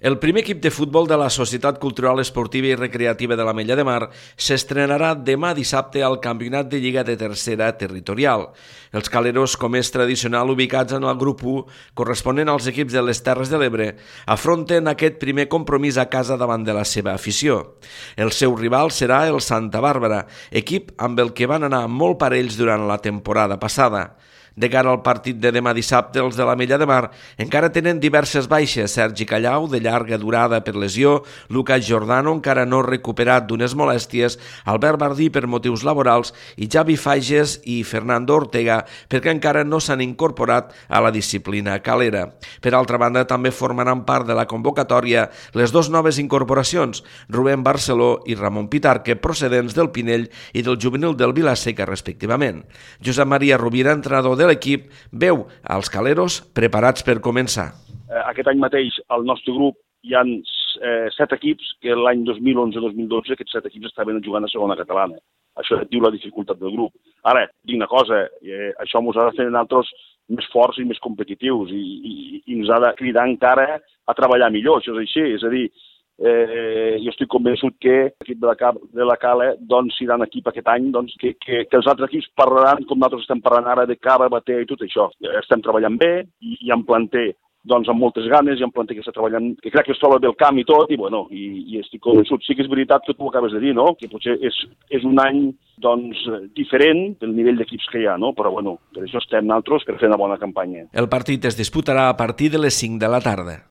El primer equip de futbol de la Societat Cultural Esportiva i Recreativa de l'Ametlla de Mar s'estrenarà demà dissabte al Campionat de Lliga de Tercera Territorial. Els caleros, com és tradicional, ubicats en el grup 1, corresponent als equips de les Terres de l'Ebre, afronten aquest primer compromís a casa davant de la seva afició. El seu rival serà el Santa Bàrbara, equip amb el que van anar molt parells durant la temporada passada. De cara al partit de demà dissabte, els de l'Ametlla de Mar encara tenen diverses baixes. Sergi Callau, de llarga durada per lesió, Lucas Giordano, encara no recuperat d'unes molèsties, Albert Bardí per motius laborals i Javi Fages i Fernando Ortega perquè encara no s'han incorporat a la disciplina calera. Per altra banda, també formaran part de la convocatòria les dues noves incorporacions, Rubén Barceló i Ramon Pitarque, procedents del Pinell i del juvenil del Vilaseca, respectivament. Josep Maria Rovira, entrenador de l'equip, veu als caleros preparats per començar. Aquest any mateix al nostre grup hi ha 7 equips que l'any 2011-2012 aquests 7 equips estaven jugant a segona catalana. Això diu la dificultat del grup. Ara, dic una cosa, això ens ha de fer nosaltres més forts i més competitius i ens ha de cridar encara a treballar millor, això és així. És a dir, jo estic convençut que l'equip de la Cala serà un equip aquest any que els altres equips parlaran com nosaltres estem parlant ara de cara, bater i tot això. Estem treballant bé i en planter amb moltes ganes, i en planter que està treballant, que crec que es troba bé el camp i tot, i estic convençut. Sí que és veritat que tu ho acabes de dir, no? Que potser és un any diferent del nivell d'equips que hi ha, no? Però per això estem nosaltres per fer una bona campanya. El partit es disputarà a partir de les 5 de la tarda.